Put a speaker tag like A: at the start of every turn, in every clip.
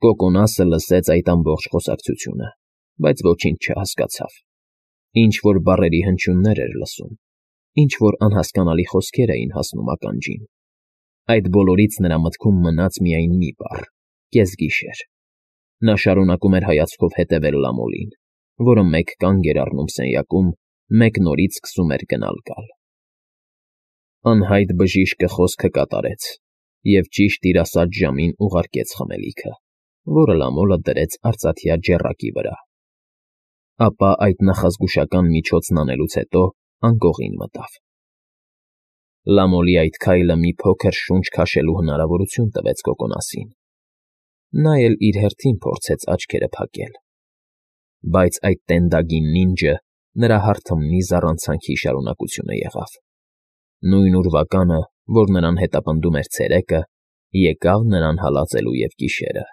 A: Կոկոնասը լսեց այդ ամբողջ խոսակցությունը, բայց ոչինչ չհասկացավ. ինչ-որ բառերի հնչյուններ էր լսում, ինչ-որ անհասկանալի խոսքեր էին հասնում ականջին. այդ բոլորից նրա մտքում մնաց միայն մի բառ՝ կեսգիշեր։ Նա շարունակում էր հայացքով հետևել Լամոլին, որը մեկ կանգ էր առնում սենյակում, մեկ նորից սկսում էր գնալ֊գալ։ Անհայտ բժիշկը խոսքը կատարեց և ճիշտ իր ասած ժամին ուղարկեց խմելիքը, որը Լամոլը դրեց արծաթյա ջեռակի վրա։ Ապա այդ նախազգուշական միջոցն անելուց հետո անկողին մտավ։ Լամոլի այդ քայլը մի փոքր շունչ քաշելու հնարավորություն տվեց Կոկոնասին։ Նա էլ իր հերթին փորձեց աչքերը փակել։ Բայց այդ տենդագին նինջը նրա հարթմնի զառանցանքի շարունակությունը եղավ։ Նույն ուրվականը, որ նրան հետապնդում էր ցերեկը, եկավ նրան հալածելու և գիշերը։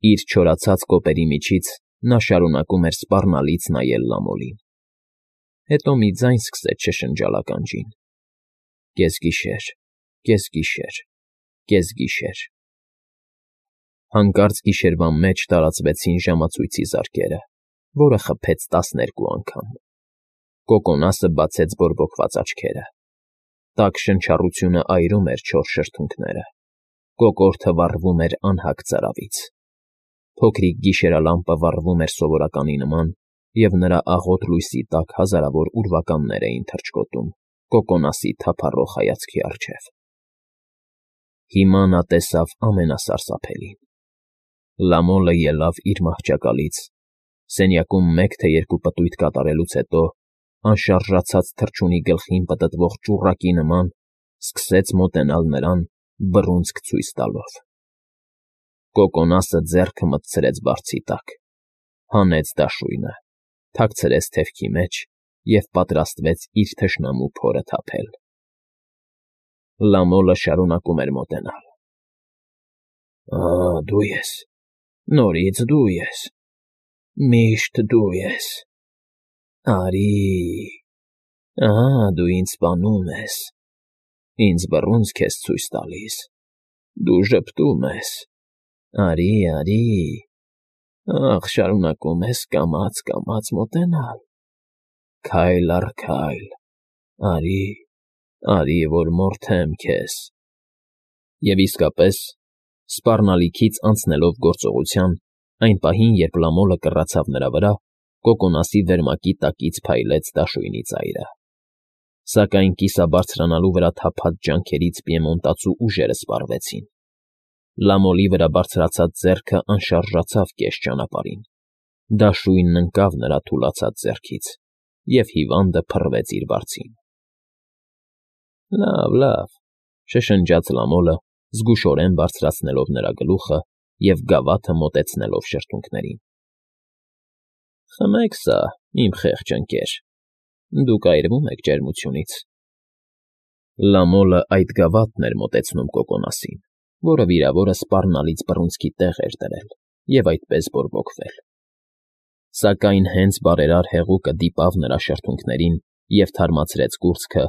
A: Իր չորացած կոպերի միջից նա շարունակում էր սպառնալից նայել Լամոլին։ Հետո մի ձայն սկսեց շշնջալ ականջին. կեսգիշեր, կեսգիշեր, կեսգիշեր։ Հանկարծ գիշերվա մեջ տարածվեցին ժամացույցի զարկերը, որը խփեց 12 անգամ։ Կոկոնասը բացեց բորբոքված աչքերը։ Տաք շնչառությունը այրում էր չոր շրթունքները։ Կոկորդը վառվում էր անհագ ծարավից։ Փոքրիկ գիշերալամպը վառվում էր սովորականի նման, և նրա աղոտ լույսի տակ հազարավոր ուրվականներ էին թռչկոտում Կոկոնասի թափառող հայացքի առջև։ Հիմա նա տեսավ ամենասարսափելին. Լամոլը ելավ իր մահճակալից, սենյակում մեկ թե երկու պտույտ կատարելուց հետո, անշարժացած թռչունի գլխին պտտվող ճուռակի նման, սկսեց մոտենալ նրան, բռունցք ցույց տալով։ Կոկոնասը ձեռքը մտցրեց բարձի տակ, հանեց դաշույնը, թաքցրեց թևքի մեջ և պատրաստվեց իր թշնամու փորը թափել։ Լամոլը շարունակում էր մոտենալ։ Դու ես, նորից դու ես, միշտ դու ես, արի, դու ինձ սպանում ես, ինձ բռունցք ես ցույց տալիս, դու ժպտում ես, արի, շարունակում ես կամաց մոտենալ, քայլ առ քայլ, արի, որ մորթեմ քեզ։ Եվ իսկապես, սպառնալիքից անցնելով գործողության, այն պահին, երբ Լամոլը կռացավ նրա վրա, Կոկոնասի վերմակի տակից փայլեց դաշույնի ծայրը։ Սակայն կիսաբարձրանալու վրա թափած ջանքերից պիեմոնտացու ուժերը սպառվեցին։ Լամոլի վրա բարձրացած ձեռքը անշարժացավ կես ճանապարհին։ Դաշույնն ընկավ նրա թուլացած ձեռքից, և հիվանդը փռվեց իր բարձին։ Լավ, շշնջաց Լամոլը, զգուշորեն բարձրացնելով նրա գլուխը և գավաթը մոտեցնելով շրթունքներին։ Խմեք սա, իմ խեղճ ընկեր, դուք այրվում եք ջերմությունից։ Լամոլը այդ գավաթն էր մոտեցնում Կոկոնասին, որը վիրավորը սպառնալից բռունցքի տեղ էր դրել և այդպես բորբոքվել։ Սակայն հենց բարերար հեղուկը դիպավ նրա շրթունքներին և թարմացրեց կուրծքը,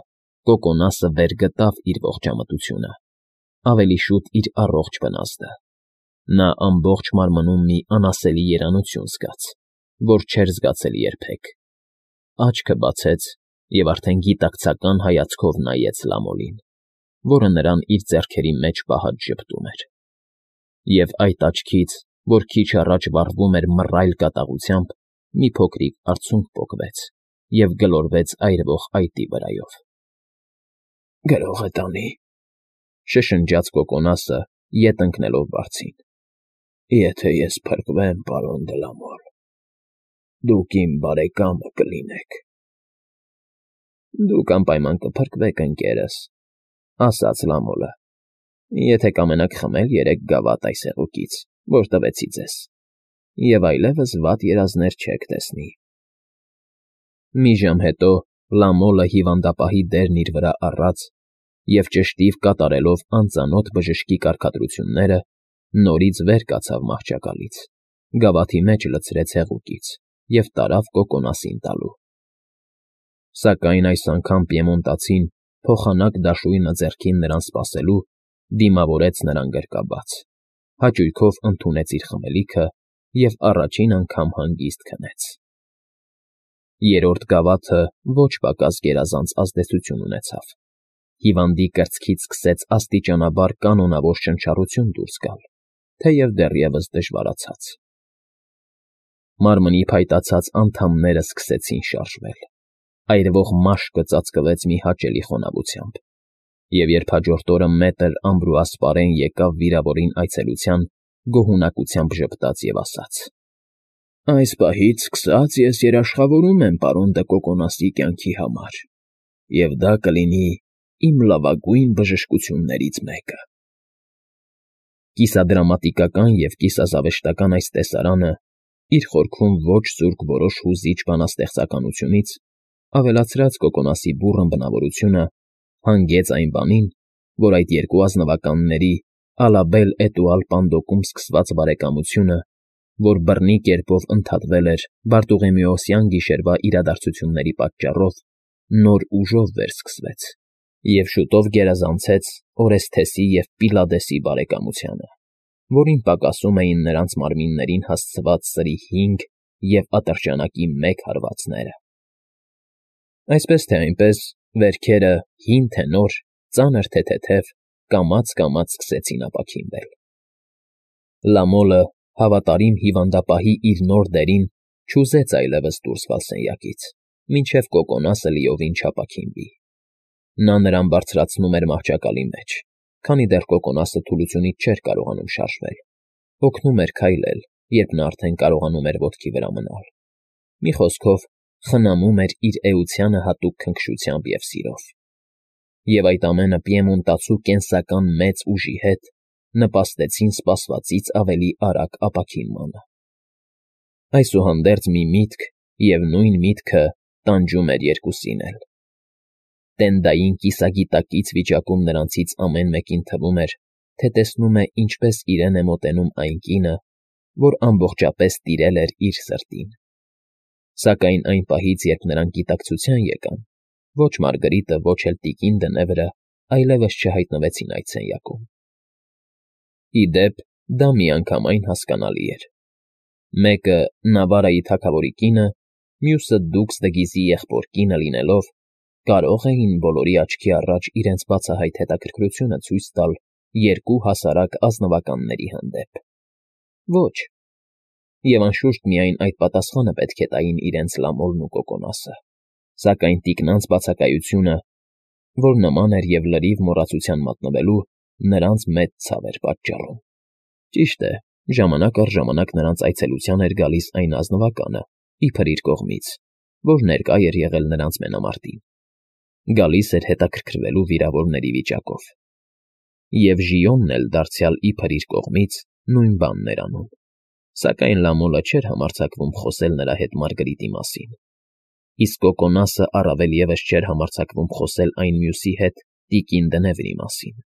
A: Կոկոնասը վեր գտավ իր ողջամտությունը, ավելի շուտ իր առողջ վնասը։ Նա ամբողջ մարմնում մի անասելի երանություն զգաց, որ չէր զգացել երբեք։ Աչքը բացեց և արդեն գիտակցական հայացքով նայեց Լամոլին, որը նրան իր ձեռքերի մեջ պահած ժպտում էր։ Եվ այդ աչքից, որ քիչ առաջ վառվում էր մռայլ կատաղությամբ, մի փոքրիկ արցունք պոկվեց և գլորվեց այրվող այտի վրայով։ Գրող է տանի, շշնջաց Կոկոնասը, ետ ընկնելով բարձին։ Եթե ես փրկվեմ, պարոն դե Լամոլ, դուք իմ բարեկամը կլինեք։ Դուք անպայման կփրկվեք, ընկերս, ասաց Լամոլը, եթե կամենաք խմել 3 գավաթ այս հեղուկից, որ տվեցի ձեզ, և այլևս վատ երազներ չեք տեսնի։ Մի ժամ հետո Լամոլը հիվանդապահի դերն իր վրա առած և ճշտիվ կատարելով անծանոթ բժշկի կարգադրությունները, նորից վեր կացավ մահճակալից, գավաթի մեջ լցրեց հեղուկից և տարավ Կոկոնասին տալու։ Սակայն այս անգամ պիեմոնտացին, փոխանակ դաշույնը ձեռքին նրան սպասելու, դիմավորեց նրան գրկաբաց։ հաճույքով ընդունեց իր խմելիքը և առաջին անգամ հանգիստ քնեց։ Երրորդ գավաթը ոչ պակաս գերազանց ազդեցություն ունեցավ։ Հիվանդի կրծքից սկսեց աստիճանաբար կանոնավոր շնչառություն դուրս գալ, թեև դեռևս դժվարացած։ Մարմնի փայտացած անդամները սկսեցին շարժվել, այրվող մաշկը ծածկվեց մի հաճելի խոնավությամբ, և երբ հաջորդ օրը մետր ամբրոասպարեն եկավ վիրավորին այցելության, գոհունակությամբ ժպտաց և ասաց. «Այս պահից սկսած ես երաշխավորում եմ պարոն Դը Կոկոնասի կյանքի համար, և դա կլինի իմ լավագույն բժշկություններից մեկը»։ Կիսադրամատիկական և կիսազավեշտական այս տեսարանը, իր խորքում ոչ զուրկ որոշ հուզիչ բանաստեղծականությունից, ավելացրած Կոկոնասի բուռն բնավորությունը, հանգեց այն բանին, որ այդ երկու ազնվականների Ալաբել Էտուալ Պանդոկում սկսված բարեկամությունը, որ բռնի կերպով ընդհատվել էր Բարտուղեմեոսյան գիշերվա իրադարձությունների պատճառով, նոր ուժով վերսկսվեց և շուտով գերազանցեց Օրեսթեսի և Պիլադեսի բարեկամությանը, որին պակասում էին նրանց մարմիններին հասցված սրի 5 և ատրճանակի 1 հարվածները։ Այսպես թե այնպես, վերքերը, հին թե նոր, ծանր թե թեթև, կամաց֊կամաց սկսեցին ապաքինվել։ Լամոլը, հավատարիմ հիվանդապահի իր նոր դերին, չուզեց այլևս դուրս գալ սենյակից, մինչև Կոկոնասը լիովին չապաքինվի։ Նա նրան բարձրացնում էր մահճակալի մեջ, քանի դեռ Կոկոնասը թուլությունից չէր կարողանում շարժվել, օգնում էր քայլել, երբ նա արդեն կարողանում էր ոտքի վրա մնալ։ Մի խոսքով, խնամում էր իր էությանը հատուկ քնքշությամբ և սիրով։ Եվ այդ ամենը պիեմոնտացու կենսական մեծ ուժի հետ նպաստեցին սպասվածից ավելի արագ ապաքինմանը։ Այսուհանդերձ մի միտք, և նույն միտքը տանջում էր երկուսին էլ։ Տենդային կիսագիտակից վիճակում նրանցից ամեն մեկին թվում էր, թե տեսնում է, ինչպես իրեն է մոտենում այն կինը, որ ամբողջապես տիրել էր իր սրտին։ Սակայն այն պահից, երբ նրանք գիտակցության եկան, ոչ Մարգրիտը, ոչ էլ տիկին Դնևրը այլևս չհայտնվեցին այդ սենյակում։ Ի դեպ, դա միանգամայն հասկանալի էր։ Մեկը Նավարայի թագավորի կինը, մյուսը Դուքս Դգիզի եղբոր կինը լինելով, կարող էին բոլորի աչքի առաջ իրենց բացահայտ հետաքրքրությունը ցույց տալ երկու հասարակ ազնվականների հանդեպ։ Ոչ։ Եվ անշուշտ միայն այդ պատասխանը պետք է տային իրենց Լամոլն ու Կոկոնասը, սակայն տիկնանց բացակայությունը, որ նման էր և լրիվ մոռացության մատնվելու, նրանց մեծ ցավ էր պատճառում։ Ճիշտ է, ժամանակ առ ժամանակ նրանց այցելության էր գալիս այն ազնվականը, իբր իր կողմից, որ ներկա էր եղել նրանց մենամարտին։ Գալիս էր հետաքրքրվելու վիրավորների վիճակով։ Եվ Ժիոնն էլ դարձյալ իբր իր կողմից նույն բանն էր անում, սակայն Լամոլը չէր համարձակվում խոսել նրա հետ Մարգրիտի մասին, իսկ Կոկոնասը առավել ևս չէր համարձակվում խոսել այն մյուսի հետ՝ տիկին Դնևրի մասին։